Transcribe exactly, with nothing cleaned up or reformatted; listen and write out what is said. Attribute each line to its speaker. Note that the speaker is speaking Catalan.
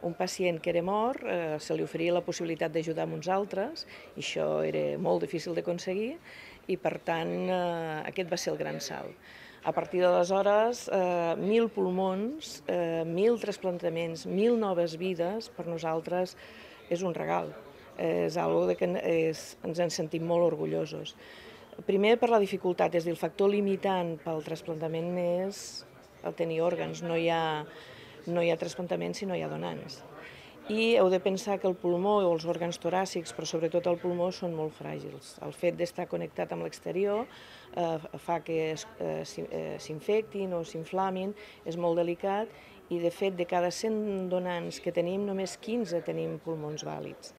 Speaker 1: un pacient que era mort, eh, se li oferia la possibilitat d'ajudar amb uns altres, i això era molt difícil d'aconseguir, i per tant eh, aquest va ser el gran salt. A partir d'aleshores, eh, mil pulmons, eh, mil trasplantaments, mil noves vides, per nosaltres és un regal. És algo de que és, ens en sentim molt orgullosos. Primer per la dificultat, és a dir, el factor limitant pel trasplantament és el tenir òrgans, no hi ha, no hi ha trasplantament si no hi ha donants. I heu de pensar que el pulmó o els òrgans toràcics, però sobretot el pulmó, són molt fràgils. El fet d'estar connectat amb l'exterior eh, fa que s'infectin o s'inflamin, és molt delicat, i de fet de cada cent donants que tenim, només quinze tenim pulmons vàlids.